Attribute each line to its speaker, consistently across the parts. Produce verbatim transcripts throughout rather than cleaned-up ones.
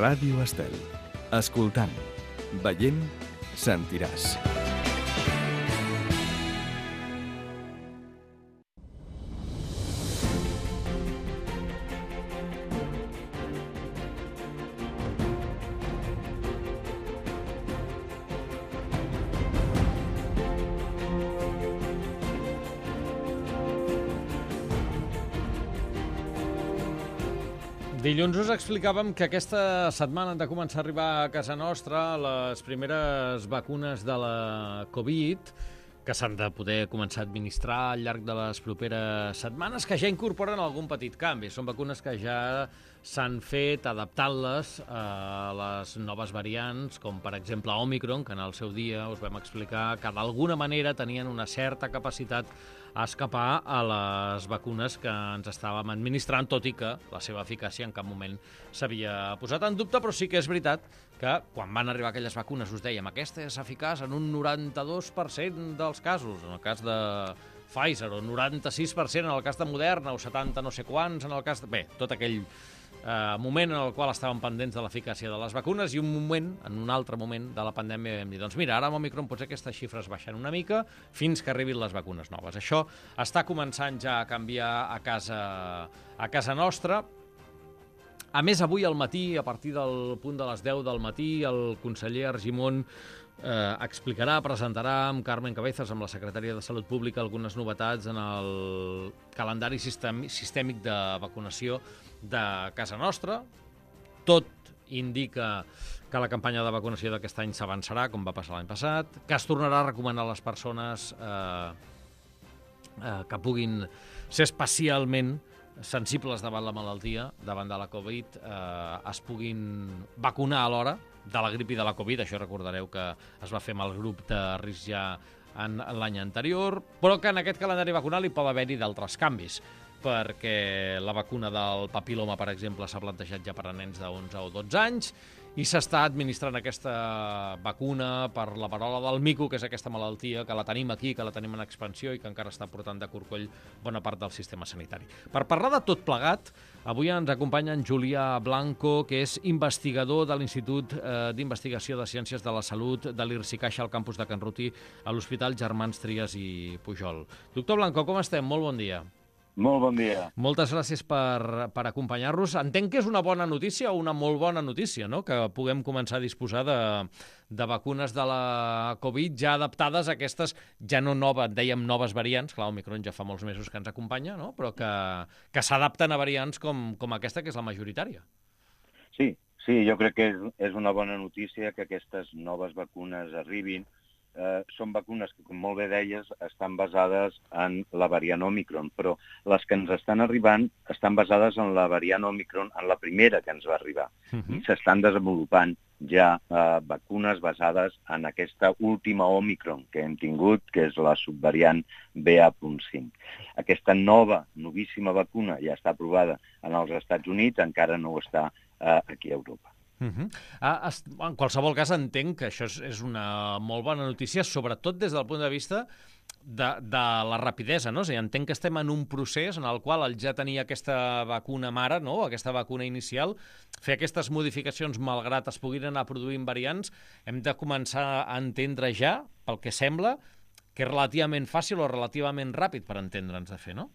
Speaker 1: Ràdio Estel. Escoltant, veient, sentiràs.
Speaker 2: Dilluns us explicàvem que aquesta setmana han de començar a arribar a casa nostra les primeres vacunes de la Covid, que s'han de poder començar a administrar al llarg de les properes setmanes, que ja incorporen algun petit canvi. Són vacunes que ja s'han fet adaptant-les a les noves variants, com per exemple Omicron, que en el seu dia us vam explicar que d'alguna manera tenien una certa capacitat a escapar a les vacunes que ens estàvem administrant, tot i que la seva eficàcia en cap moment s'havia posat en dubte, però sí que és veritat que quan van arribar aquelles vacunes us dèiem aquesta és eficaç en un noranta-dos per cent dels casos, en el cas de Pfizer, o noranta-sis per cent en el cas de Moderna, o setanta no sé quants en el cas de... Bé, tot aquell eh, moment en el qual estàvem pendents de l'eficàcia de les vacunes i un moment, en un altre moment de la pandèmia vam dir, doncs mira, ara amb Omicron potser aquestes xifres baixen una mica fins que arribin les vacunes noves. Això està començant ja a canviar a casa, a casa nostra. A més, avui al matí, a partir del punt de les deu del matí, el conseller Argimon eh, explicarà, presentarà amb Carmen Cabezas, amb la secretària de Salut Pública, algunes novetats en el calendari sistèmic de vacunació de casa nostra. Tot indica que la campanya de vacunació d'aquest any s'avançarà, com va passar l'any passat, que es tornarà a recomanar a les persones eh, eh, que puguin ser especialment sensibles davant la malaltia, davant de la Covid, eh, es puguin vacunar alhora de la grip i de la Covid. Això recordareu que es va fer amb el grup de risc ja en l'any anterior, però que en aquest calendari vacunal hi pot haver-hi d'altres canvis, perquè la vacuna del papiloma, per exemple, s'ha plantejat ja per a nens de onze o dotze anys, i s'està administrant aquesta vacuna per la verola del mico, que és aquesta malaltia que la tenim aquí, que la tenim en expansió i que encara està portant de corcoll bona part del sistema sanitari. Per parlar de tot plegat, avui ens acompanya en Julià Blanco, que és investigador de l'Institut eh, d'Investigació de Ciències de la Salut de l'I R S I Caixa al campus de Can Ruti, a l'Hospital Germans Trias i Pujol. Doctor Blanco, com estem? Molt bon dia.
Speaker 3: Molt bon dia.
Speaker 2: Moltes gràcies per, per acompanyar-nos. Entenc que és una bona notícia o una molt bona notícia, no?, que puguem començar a disposar de, de vacunes de la Covid ja adaptades a aquestes, ja no noves, dèiem noves variants, clar, Omicron ja fa molts mesos que ens acompanya, no?, però que, que s'adapten a variants com, com aquesta, que és la majoritària.
Speaker 3: Sí, sí, jo crec que és, és una bona notícia que aquestes noves vacunes arribin. Eh, són vacunes que, com molt bé deies, estan basades en la variant Omicron, però les que ens estan arribant estan basades en la variant Omicron, en la primera que ens va arribar. Uh-huh. I s'estan desenvolupant ja eh, vacunes basades en aquesta última Omicron que hem tingut, que és la subvariant B A punt cinc. Aquesta nova, novíssima vacuna ja està aprovada en els Estats Units, encara no ho està eh, aquí a Europa.
Speaker 2: Uh-huh. ah, en qualsevol cas, entenc que això és, és una molt bona notícia, sobretot des del punt de vista de, de la rapidesa, no? O sigui, entenc que estem en un procés en el qual el ja tenir aquesta vacuna mare, no?, aquesta vacuna inicial, fer aquestes modificacions malgrat es puguin anar produint variants, hem de començar a entendre ja, pel que sembla, que és relativament fàcil o relativament ràpid per entendre'ns de fer, no?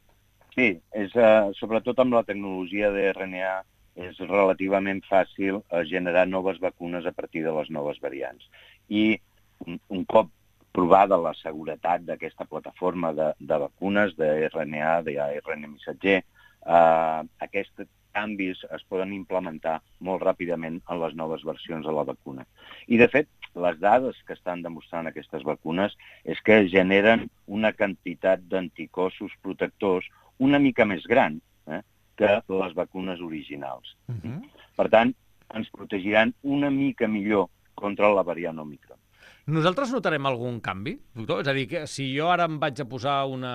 Speaker 3: Sí, és, uh, sobretot amb la tecnologia de R N A, és relativament fàcil generar noves vacunes a partir de les noves variants. I un, un cop provada la seguretat d'aquesta plataforma de, de vacunes, de R N A, de A R N missatger, eh, aquests canvis es poden implementar molt ràpidament en les noves versions de la vacuna. I, de fet, les dades que estan demostrant aquestes vacunes és que generen una quantitat d'anticossos protectors una mica més gran, eh? que les vacunes originals. Uh-huh. Per tant, ens protegiran una mica millor contra la variant Omicron.
Speaker 2: Nosaltres notarem algun canvi, doctor? És a dir, que si jo ara em vaig a posar una,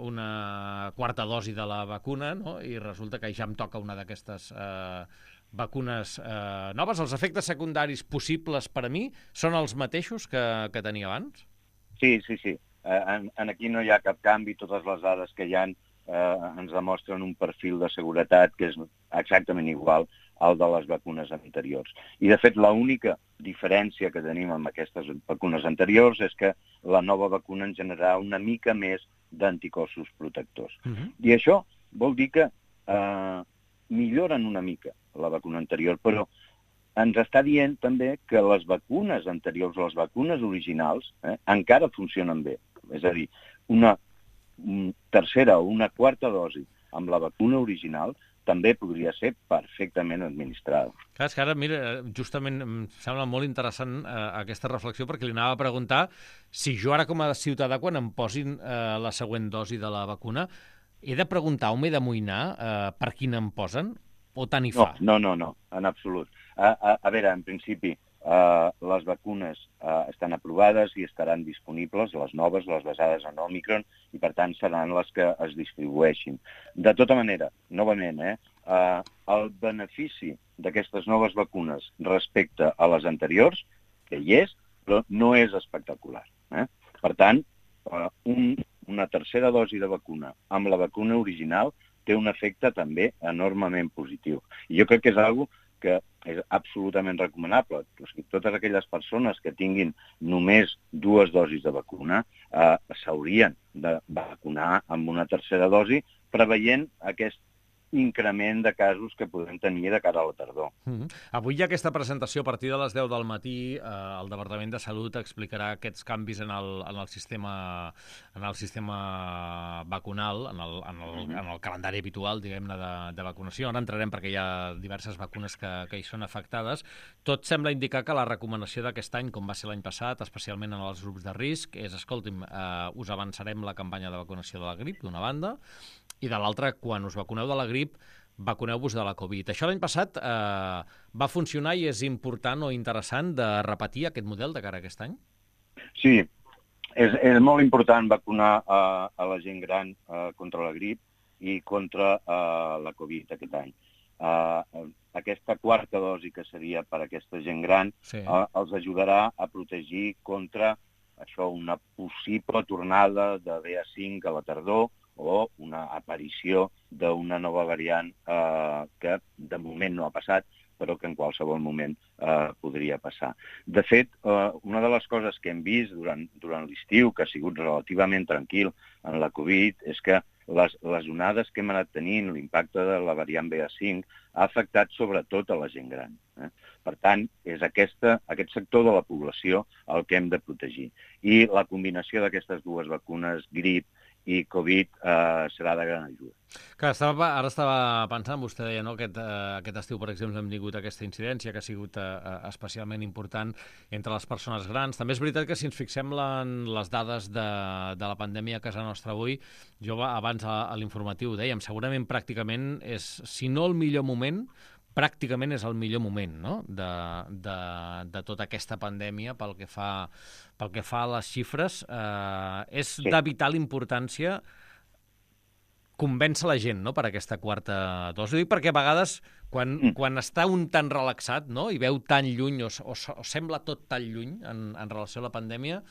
Speaker 2: una quarta dosi de la vacuna, no?, i resulta que ja em toca una d'aquestes eh, vacunes eh, noves, els efectes secundaris possibles per a mi són els mateixos que, que tenia abans?
Speaker 3: Sí, sí, sí. Eh, en, en aquí no hi ha cap canvi, totes les dades que hi ha eh, ens demostren un perfil de seguretat que és exactament igual al de les vacunes anteriors. I, de fet, l'única diferència que tenim amb aquestes vacunes anteriors és que la nova vacuna en generarà una mica més d'anticossos protectors. Uh-huh. I això vol dir que eh, milloren una mica la vacuna anterior, però ens està dient també que les vacunes anteriors, les vacunes originals, eh, encara funcionen bé. És a dir, una tercera o una quarta dosi amb la vacuna original també podria ser perfectament administrada.
Speaker 2: Clar, és que ara, mira, justament em sembla molt interessant eh, aquesta reflexió, perquè li anava a preguntar si jo ara com a ciutadà, quan em posin eh, la següent dosi de la vacuna, he de preguntar o m'he d'amoïnar eh, per quina em posen? O tant hi fa?
Speaker 3: No, no, no, en absolut. A, a, a veure, en principi, uh, les vacunes uh, estan aprovades i estaran disponibles, les noves, les basades en Omicron, i per tant seran les que es distribueixin. De tota manera, novament, eh, uh, el benefici d'aquestes noves vacunes respecte a les anteriors, que hi és, però no és espectacular. Eh? Per tant, uh, un, una tercera dosi de vacuna amb la vacuna original té un efecte també enormement positiu. I jo crec que és algo que és absolutament recomanable. O sigui, totes aquelles persones que tinguin només dues dosis de vacuna eh, s'haurien de vacunar amb una tercera dosi, preveient aquest increment de casos que podem tenir de cara a la tardor.
Speaker 2: Mm-hmm. Avui hi ha aquesta presentació a partir de les deu del matí. Eh, el Departament de Salut explicarà aquests canvis en el, en el, sistema, en el sistema vacunal, en el, en el, mm-hmm. en el calendari habitual, diguem-ne, de, de vacunació. Ara entrarem perquè hi ha diverses vacunes que, que hi són afectades. Tot sembla indicar que la recomanació d'aquest any, com va ser l'any passat, especialment en els grups de risc, és, escolti'm, eh, us avançarem la campanya de vacunació de la grip, d'una banda, i de l'altra, quan us vacuneu de la grip, vacuneu-vos de la Covid. Això l'any passat eh, va funcionar i és important o interessant de repetir aquest model de cara a aquest any?
Speaker 3: Sí, és, és molt important vacunar a, a la gent gran eh, contra la grip i contra eh, la Covid aquest any. Eh, aquesta quarta dosi que seria per a aquesta gent gran sí. eh, els ajudarà a protegir contra això, una possible tornada de B A cinc a la tardor, o una aparició d'una nova variant eh, que de moment no ha passat, però que en qualsevol moment eh, podria passar. De fet, eh, una de les coses que hem vist durant, durant l'estiu, que ha sigut relativament tranquil en la Covid, és que les, les onades que hem anat tenint, l'impacte de la variant B A cinc, ha afectat sobretot a la gent gran. Eh? Per tant, és aquesta, aquest sector de la població el que hem de protegir. I la combinació d'aquestes dues vacunes, grip i Covid, eh, serà de gran ajuda.
Speaker 2: Clar, estava, ara estava pensant, vostè deia, no, aquest, eh, aquest estiu, per exemple, hem tingut aquesta incidència que ha sigut eh, especialment important entre les persones grans. També és veritat que si ens fixem en les dades de, de la pandèmia a casa nostra avui, jo abans a, a l'informatiu dèiem, segurament pràcticament és, si no el millor moment, pràcticament és el millor moment, no?, de, de, de tota aquesta pandèmia pel que fa, pel que fa a les xifres. Eh, és sí. de vital importància convèncer la gent, no?, per aquesta quarta dosi. Ho dic perquè a vegades, quan, mm. quan està un tan relaxat, no?, i veu tan lluny, o, o, o sembla tot tan lluny en, en relació a la pandèmia,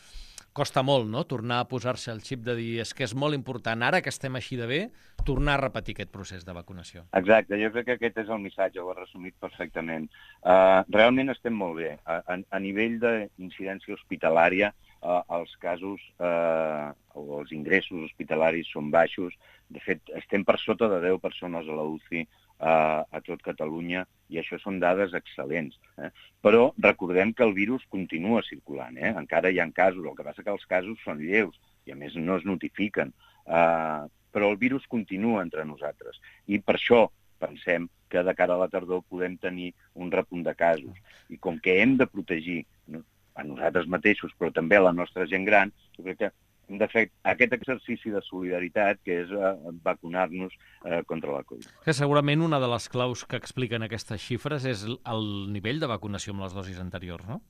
Speaker 2: costa molt, no?, tornar a posar-se el xip de dir és que és molt important, ara que estem així de bé, tornar a repetir aquest procés de vacunació.
Speaker 3: Exacte, jo crec que aquest és el missatge, ho ha resumit perfectament. Uh, realment estem molt bé. A, a, a nivell d'incidència hospitalària, uh, els casos uh, o els ingressos hospitalaris són baixos. De fet, estem per sota de deu persones a la U C I uh, a tot Catalunya, i això són dades excel·lents. Eh? Però recordem que el virus continua circulant. Eh? Encara hi ha casos, el que passa que els casos són lleus i a més no es notifiquen. Uh, però el virus continua entre nosaltres. I per això pensem que de cara a la tardor podem tenir un repunt de casos. I com que hem de protegir, no, a nosaltres mateixos, però també a la nostra gent gran, jo crec que hem de fer aquest exercici de solidaritat, que és eh, vacunar-nos eh, contra la Covid.
Speaker 2: Que segurament una de les claus que expliquen aquestes xifres és el nivell de vacunació amb les dosis anteriors, no?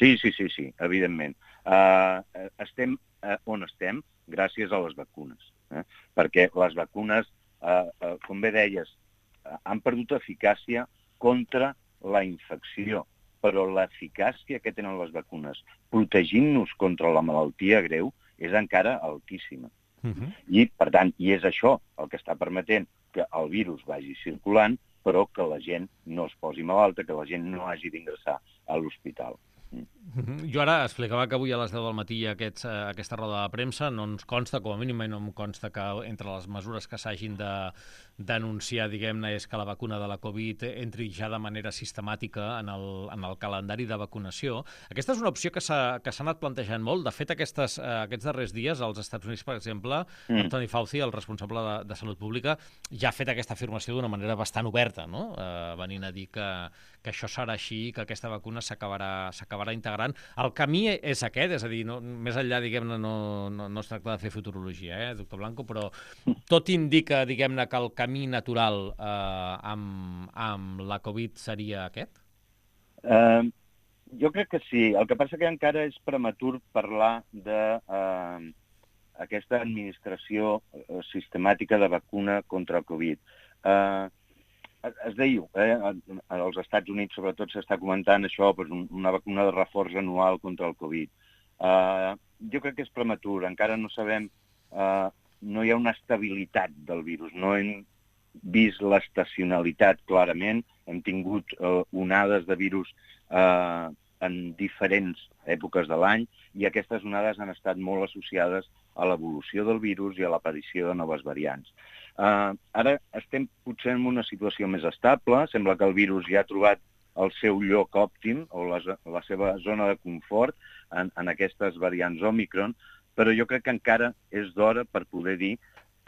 Speaker 3: Sí, sí, sí, sí, evidentment. Uh, estem uh, on estem gràcies a les vacunes, eh? Perquè les vacunes, uh, uh, com bé deies, uh, han perdut eficàcia contra la infecció, però l'eficàcia que tenen les vacunes protegint-nos contra la malaltia greu és encara altíssima. Uh-huh. I, per tant, i és això el que està permetent que el virus vagi circulant, però que la gent no es posi malalta, que la gent no hagi d'ingressar a l'hospital.
Speaker 2: Mm-hmm. Jo ara explicava que avui a les deu del matí aquests, eh, aquesta roda de premsa no ens consta, com a mínim no em consta que entre les mesures que s'hagin de d'anunciar, diguem-ne, és que la vacuna de la Covid entri ja de manera sistemàtica en el, en el calendari de vacunació. Aquesta és una opció que s'ha que s'ha anat plantejant molt. De fet, aquestes, eh, aquests darrers dies, als Estats Units, per exemple, mm. Anthony Fauci, el responsable de, de Salut Pública, ja ha fet aquesta afirmació d'una manera bastant oberta, no? Eh, venint a dir que, que això serà així, que aquesta vacuna s'acabarà s'acabarà integrant. El camí és aquest, és a dir, no, més enllà, diguem-ne, no, no, no es tracta de fer futurologia, eh, doctor Blanco, però tot indica, diguem-ne, que el camí natural eh, amb, amb la Covid seria aquest?
Speaker 3: Uh, jo crec que sí. El que passa que encara és prematur parlar de uh, aquesta administració uh, sistemàtica de vacuna contra el Covid. Uh, es deia, eh, als Estats Units sobretot s'està comentant això, pues, una vacuna de reforç anual contra el Covid. Uh, jo crec que és prematur, encara no sabem, uh, no hi ha una estabilitat del virus, no hem vist l'estacionalitat clarament, hem tingut uh, onades de virus uh, en diferents èpoques de l'any i aquestes onades han estat molt associades a l'evolució del virus i a l'aparició de noves variants. Uh, ara estem potser en una situació més estable, sembla que el virus ja ha trobat el seu lloc òptim o la, la seva zona de confort en, en aquestes variants Omicron, però jo crec que encara és d'hora per poder dir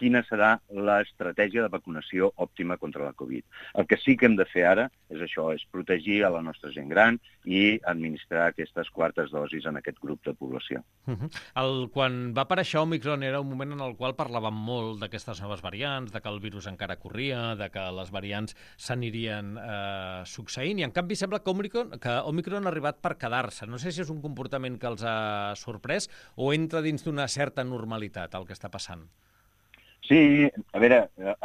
Speaker 3: quina serà l'estratègia de vacunació òptima contra la Covid. El que sí que hem de fer ara és això, és protegir a la nostra gent gran i administrar aquestes quartes dosis en aquest grup de població.
Speaker 2: Uh-huh. el, quan va aparèixer Omicron era un moment en el qual parlàvem molt d'aquestes noves variants, de que el virus encara corria, de que les variants s'anirien eh, succeint, i en canvi sembla que Omicron, que Omicron ha arribat per quedar-se. No sé si és un comportament que els ha sorprès o entra dins d'una certa normalitat el que està passant.
Speaker 3: Sí, a veure,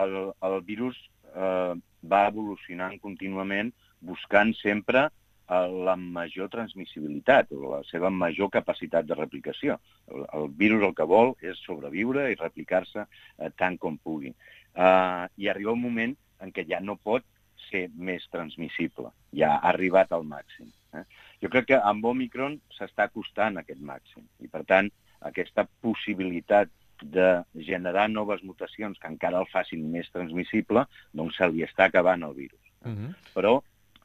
Speaker 3: el, el virus eh, va evolucionant contínuament buscant sempre eh, la major transmissibilitat o la seva major capacitat de replicació. El, el virus el que vol és sobreviure i replicar-se eh, tant com pugui. Eh, I arriba un moment en què ja no pot ser més transmissible, ja ha arribat al màxim. Eh? Jo crec que amb Omicron s'està acostant aquest màxim i, per tant, aquesta possibilitat de generar noves mutacions que encara el facin més transmissible, doncs se li està acabant el virus. Uh-huh. Però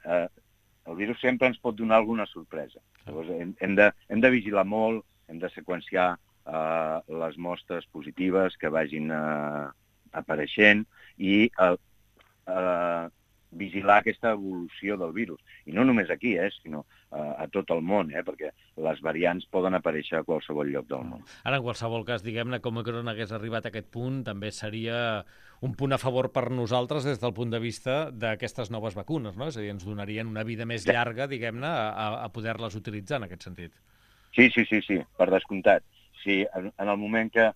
Speaker 3: eh, el virus sempre ens pot donar alguna sorpresa. Llavors, hem, hem, de, hem de vigilar molt, hem de seqüenciar eh, les mostres positives que vagin eh, apareixent i eh, eh, vigilar aquesta evolució del virus. I no només aquí, eh, sinó uh, a tot el món, eh, perquè les variants poden aparèixer a qualsevol lloc del món.
Speaker 2: Ara, en qualsevol cas, diguem-ne, com que no hagués arribat a aquest punt, també seria un punt a favor per nosaltres des del punt de vista d'aquestes noves vacunes, no? És a dir, ens donarien una vida més llarga, diguem-ne, a, a poder-les utilitzar en aquest sentit.
Speaker 3: Sí, sí, sí, sí, per descomptat. Sí, en, en el moment que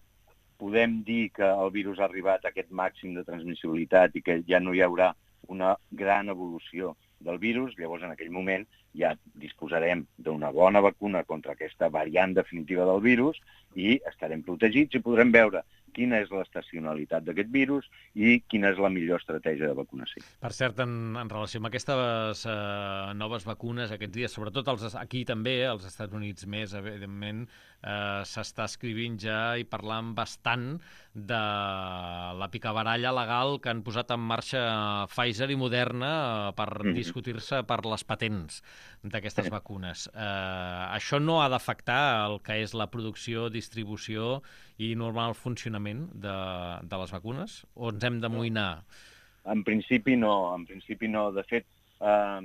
Speaker 3: podem dir que el virus ha arribat a aquest màxim de transmissibilitat i que ja no hi haurà una gran evolució del virus, llavors en aquell moment ja disposarem d'una bona vacuna contra aquesta variant definitiva del virus i estarem protegits i podrem veure quina és l'estacionalitat d'aquest virus i quina és la millor estratègia de vacunació.
Speaker 2: Per cert, en, en relació amb aquestes eh, noves vacunes aquests dies, sobretot els, aquí també, als Estats Units més, evidentment, eh, s'està escrivint ja i parlant bastant de la picabaralla legal que han posat en marxa Pfizer i Moderna eh, per mm-hmm. discutir-se per les patents d'aquestes mm-hmm. vacunes. Eh, això no ha d'afectar el que és la producció, distribució i normal funcionament de, de les vacunes? O ens hem d'amoïnar?
Speaker 3: En principi no, en principi no. De fet, eh,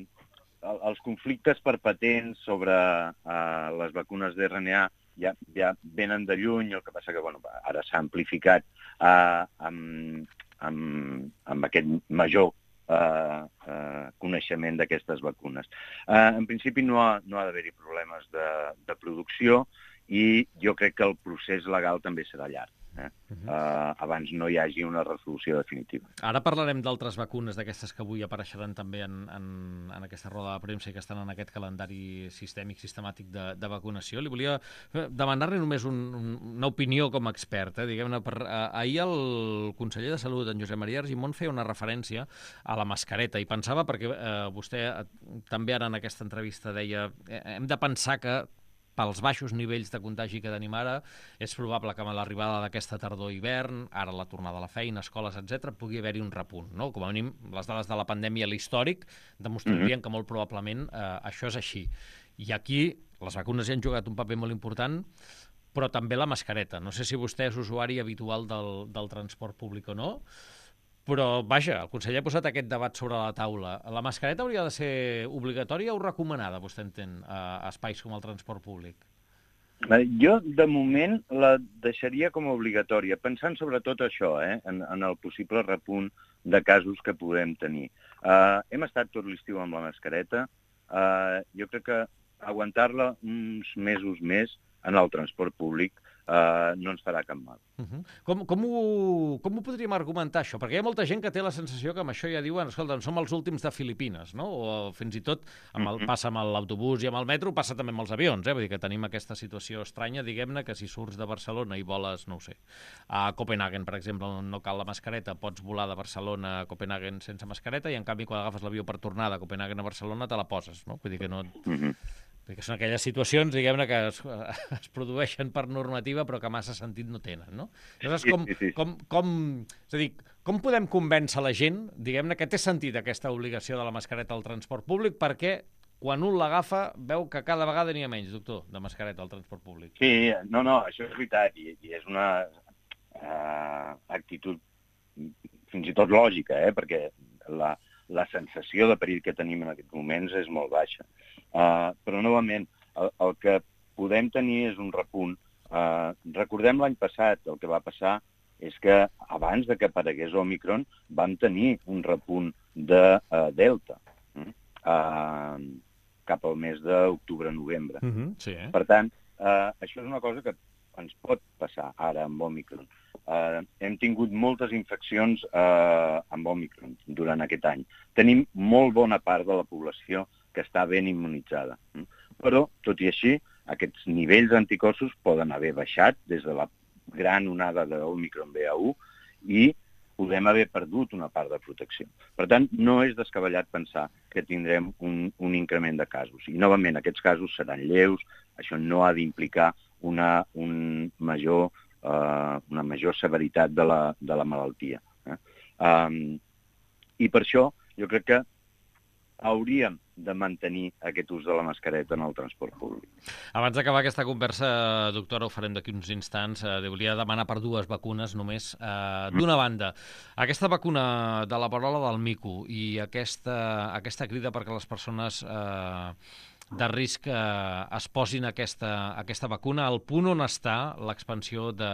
Speaker 3: els conflictes per patents sobre eh, les vacunes d'R N A ja, ja venen de lluny, el que passa que bueno, ara s'ha amplificat eh, amb, amb, amb aquest major eh, eh, coneixement d'aquestes vacunes. Eh, en principi no ha, no ha d'haver-hi problemes de, de producció i jo crec que el procés legal també serà llarg. eh? Uh, abans no hi hagi una resolució definitiva.
Speaker 2: Ara parlarem d'altres vacunes d'aquestes que avui apareixeran també en, en, en aquesta roda de premsa i que estan en aquest calendari sistèmic, sistemàtic de, de vacunació. Li volia demanar-li només un, un, una opinió com a expert. Eh? Diguem-ne, per, eh, ahir el conseller de Salut, en Josep Maria Argimon, feia una referència a la mascareta i pensava, perquè eh, vostè eh, també ara en aquesta entrevista deia eh, hem de pensar que pels baixos nivells de contagi que tenim ara, és probable que amb l'arribada d'aquesta tardor-hivern, ara la tornada a la feina, escoles, etcètera, pugui haver-hi un repunt. No? Com a mínim, les dades de la pandèmia a l'històric demostrarien mm-hmm. que molt probablement eh, això és així. I aquí les vacunes hi han jugat un paper molt important, però també la mascareta. No sé si vostè és usuari habitual del, del transport públic o no, però, vaja, el conseller ha posat aquest debat sobre la taula. La mascareta hauria de ser obligatòria o recomanada, vostè entén, a espais com el transport públic?
Speaker 3: Jo, de moment, la deixaria com a obligatòria, pensant sobretot això, eh, en, en el possible repunt de casos que podem tenir. Uh, hem estat tot l'estiu amb la mascareta. Uh, jo crec que aguantar-la uns mesos més en el transport públic Uh, no ens farà cap mal.
Speaker 2: Uh-huh. Com, com, ho, com ho podríem argumentar, això? Perquè hi ha molta gent que té la sensació que amb això ja diuen, escolta, som els últims de Filipines, no? O fins i tot amb el, uh-huh. passa amb l'autobús i amb el metro, passa també amb els avions, eh? Vull dir que tenim aquesta situació estranya, diguem-ne, que si surts de Barcelona i voles, no ho sé, a Copenhagen, per exemple, on no cal la mascareta, pots volar de Barcelona a Copenhagen sense mascareta i, en canvi, quan agafes l'avió per tornar de Copenhagen a Barcelona, te la poses, no? Vull dir que no... Uh-huh. que són aquelles situacions, diguem-ne, que es, es produeixen per normativa però que massa sentit no tenen, no? Llavors, com,
Speaker 3: sí, sí, sí.
Speaker 2: com, com, és a dir, com podem convèncer la gent, diguem-ne, que té sentit aquesta obligació de la mascareta al transport públic, perquè quan un l'agafa veu que cada vegada n'hi ha menys, doctor, de mascareta al transport públic?
Speaker 3: Sí, no, no, això és veritat, i, i és una uh, actitud fins i tot lògica, eh? Perquè la, la sensació de perill que tenim en aquests moments és molt baixa. Uh, però, novament, el, el que podem tenir és un repunt. Uh, recordem l'any passat, el que va passar és que abans de que aparegués Omicron vam tenir un repunt de uh, Delta uh, cap al mes d'octubre-novembre.
Speaker 2: Uh-huh, sí, eh?
Speaker 3: Per tant, uh, això és una cosa que ens pot passar ara amb Omicron. Uh, hem tingut moltes infeccions uh, amb Omicron durant aquest any. Tenim molt bona part de la població que està ben immunitzada. Però, tot i així, aquests nivells d'anticossos poden haver baixat des de la gran onada d'Omicron B A u i podem haver perdut una part de protecció. Per tant, no és descabellat pensar que tindrem un, un increment de casos. I, novament, aquests casos seran lleus, això no ha d'implicar una, un major, uh, una major severitat de la, de la malaltia. Eh? Um, I per això, jo crec que hauríem de mantenir aquest ús de la mascareta en el transport públic.
Speaker 2: Abans d'acabar aquesta conversa, doctora, ho farem d'aquí uns instants, eh, volia demanar per dues vacunes només. Eh, D'una banda, aquesta vacuna de la parola del mico i aquesta, aquesta crida perquè les persones eh, de risc eh, es posin aquesta, aquesta vacuna, al punt on està l'expansió de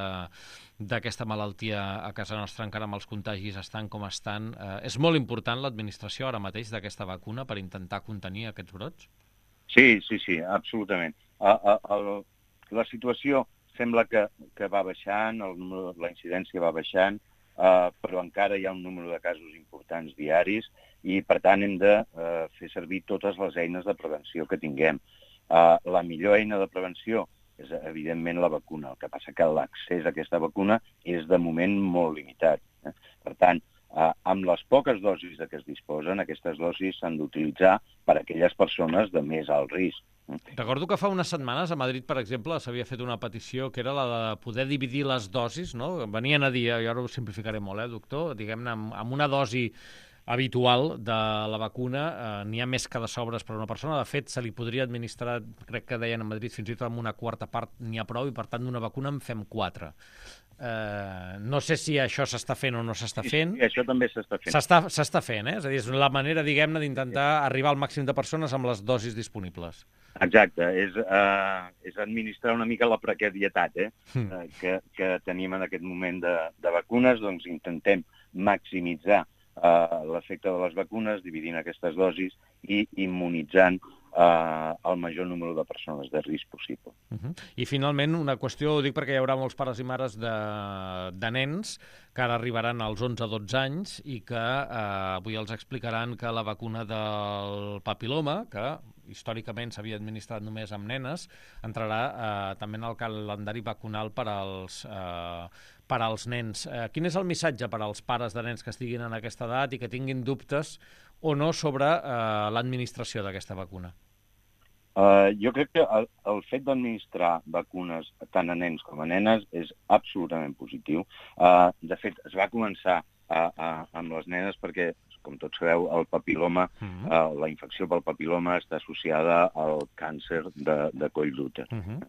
Speaker 2: d'aquesta malaltia a casa nostra, encara amb els contagis estan com estan. Eh, és molt important l'administració ara mateix d'aquesta vacuna per intentar contenir aquests brots?
Speaker 3: Sí, sí, sí, absolutament. A, a, a, la situació sembla que, que va baixant, el, la incidència va baixant, eh, però encara hi ha un número de casos importants diaris i, per tant, hem de eh, fer servir totes les eines de prevenció que tinguem. Eh, la millor eina de prevenció és, evidentment, la vacuna. El que passa que l'accés a aquesta vacuna és, de moment, molt limitat. Eh? Per tant, eh, amb les poques dosis de què es disposen, aquestes dosis s'han d'utilitzar per a aquelles persones de més alt risc. Eh?
Speaker 2: Recordo que fa unes setmanes a Madrid, per exemple, s'havia fet una petició que era la de poder dividir les dosis, no? Venien a dir, i ara ho simplificaré molt, eh, doctor, diguem-ne, amb, amb una dosi habitual de la vacuna, eh, n'hi ha més que de sobres per a una persona. De fet, se li podria administrar, crec que deien a Madrid, fins i tot amb una quarta part n'hi ha prou, i per tant d'una vacuna en fem quatre. Eh, no sé si això s'està fent o no s'està fent.
Speaker 3: Sí, sí, això també s'està fent.
Speaker 2: S'està fent, eh? És a dir, és la manera, diguem-ne, d'intentar arribar al màxim de persones amb les dosis disponibles.
Speaker 3: Exacte, és, uh, és administrar una mica la precarietat eh? mm. uh, que, que tenim en aquest moment de, de vacunes, doncs intentem maximitzar Uh, l'efecte de les vacunes, dividint aquestes dosis i immunitzant eh, el major número de persones de risc possible.
Speaker 2: Uh -huh. I finalment, una qüestió, ho dic perquè hi haurà molts pares i mares de, de nens que ara arribaran als onze a dotze anys i que eh, avui els explicaran que la vacuna del papiloma, que històricament s'havia administrat només amb nenes, entrarà eh, també en el calendari vacunal per als, eh, per als nens. Eh, quin és el missatge per als pares de nens que estiguin en aquesta edat i que tinguin dubtes o no sobre eh, l'administració d'aquesta vacuna?
Speaker 3: Uh, jo crec que el, el fet d'administrar vacunes tant a nens com a nenes és absolutament positiu. Uh, de fet, es va començar uh, uh, amb les nenes perquè, com tots sabeu, el papiloma, uh-huh. uh, la infecció pel papiloma està associada al càncer de, de coll d'úter. Uh-huh.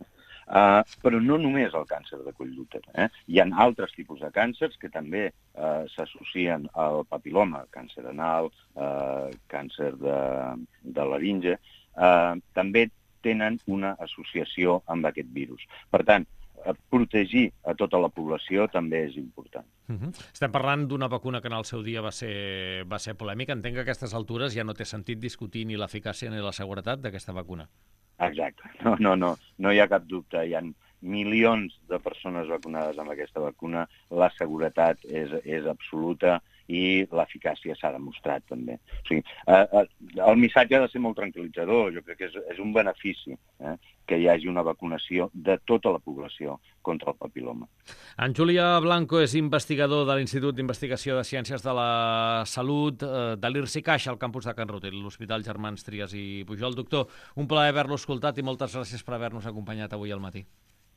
Speaker 3: Uh, però no només el càncer de coll d'úter. Eh? Hi ha altres tipus de càncers que també uh, s'associen al papiloma, càncer anal, uh, càncer de, de laringe, uh, també tenen una associació amb aquest virus. Per tant, protegir a tota la població també és important.
Speaker 2: Uh-huh. Estem parlant d'una vacuna que en el seu dia va ser, va ser polèmica. Entenc que a aquestes altures ja no té sentit discutir ni l'eficàcia ni la seguretat d'aquesta vacuna.
Speaker 3: Exacte. No, no, no. No hi ha cap dubte. Hi ha milions de persones vacunades amb aquesta vacuna. La seguretat és, és absoluta i l'eficàcia s'ha demostrat també. O sigui, eh, eh, el missatge ha de ser molt tranquil·litzador. Jo crec que és, és un benefici eh, que hi hagi una vacunació de tota la població contra el papiloma.
Speaker 2: En Julià Blanco és investigador de l'Institut d'Investigació de Ciències de la Salut eh, de l'I R S I CAIxa al campus de Can Ruti, l'Hospital Germans Trias i Pujol. Doctor, un plaer haver-lo escoltat i moltes gràcies per haver-nos acompanyat avui al matí.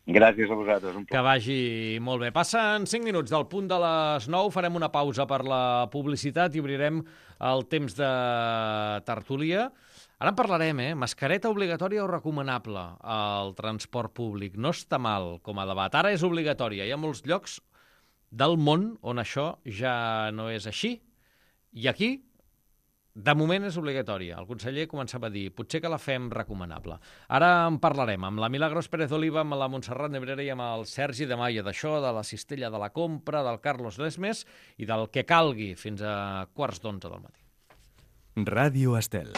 Speaker 3: Gràcies a vosaltres. Un
Speaker 2: que vagi molt bé. Passen cinc minuts del punt de les nou, farem una pausa per la publicitat i obrirem el temps de tertúlia. Ara en parlarem, eh? Mascareta obligatòria o recomanable al transport públic. No està mal com a debat. Ara és obligatòria. Hi ha molts llocs del món on això ja no és així. I aquí, de moment, és obligatòria. El conseller començava a dir, potser que la fem recomanable. Ara en parlarem amb la Milagros Pérez Oliva, amb la Montserrat Nebrera i amb el Sergi de Maia d'això, de la cistella de la compra, del Carlos Lesmes i del que calgui fins a quarts d'onze del matí.
Speaker 1: Ràdio Estel.